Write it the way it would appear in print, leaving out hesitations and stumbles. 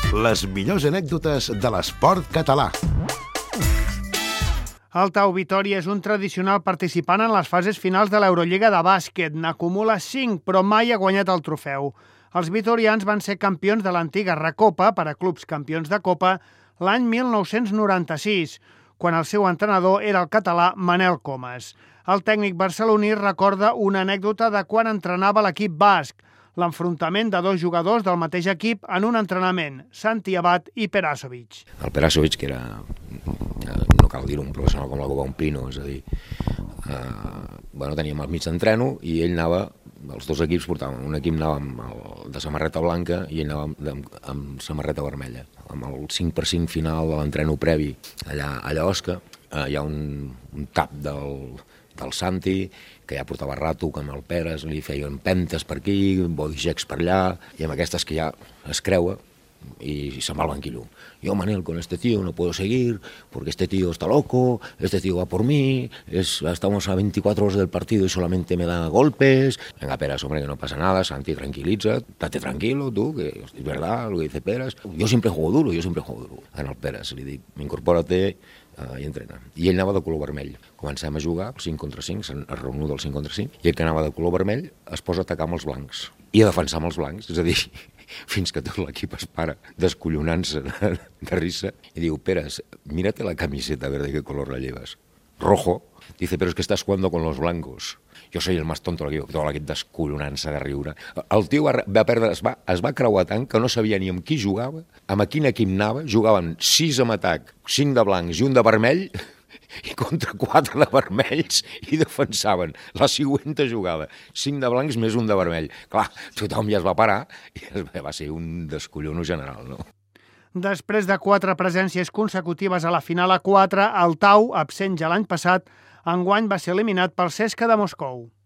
Les millors anècdotes de l'esport català. El Tau Vitòria és un tradicional participant en les fases finals de l'Eurolliga de bàsquet. N'acumula 5, però mai ha guanyat el trofeu. Els vitorians van ser campions de l'antiga Recopa per a clubs campions de Copa l'any 1996, quan el seu entrenador era el català Manel Comas. El tècnic barceloní recorda una anècdota de quan entrenava l'equip basc, l'enfrontament de dos jugadors del mateix equip en un entrenament, Santi Abad i Perasovic. El Perasovic, que era, no cal dir-ho, un professional com la Copa un Pino, és a dir, teníem el mig d'entreno i ell anava, els dos equips portaven, un equip anava de samarreta blanca i ell anava amb samarreta vermella. Amb el 5x5 final de l'entreno previ allà a Osca, hi ha un tap del Santi, que ja portava rato, que amb el Peres li feien empentes per aquí, body checks per allà, i amb aquestes que ja es creua y se'n va al banquillo. Yo, Manel, con este tío no puedo seguir, porque este tío está loco, este tío va por mí, estamos a 24 horas del partido y solamente me da golpes. Venga, Peres, hombre, que no pasa nada, Santi, tranquiliza, date tranquilo, tú, que es verdad lo que dice Peres. Yo siempre juego duro. En el Peres li dic, incorpórate i entrena. I ell anava de color vermell. Comencem a jugar 5 contra 5, es reunió del 5 contra 5, i ell que anava de color vermell es posa a atacar amb els blancs i a defensar amb els blancs, és a dir, fins que tot l'equip es para descollonant-se de risa i diu, Peres, mírate la camiseta verde, ¿qué color la llevas? Rojo. Dice, pero es que estás jugando con los blancos. Jo soy el más tonto de l'equip, tot l'equip descollonant-se de riure. El tio va perdre, es va creuar tant que no sabia ni amb qui jugava, amb a quin equip anava, jugaven 6 amb atac, 5 de blancs i un de vermell, i contra 4 de vermells, i defensaven la següent jugada, 5 de blancs més un de vermell. Clar, tothom ja es va parar i va ser un descollono general, no? Després de 4 presències consecutives a la final a 4, el Tau, absent ja l'any passat, enguany va ser eliminat pel CSKA de Moscou.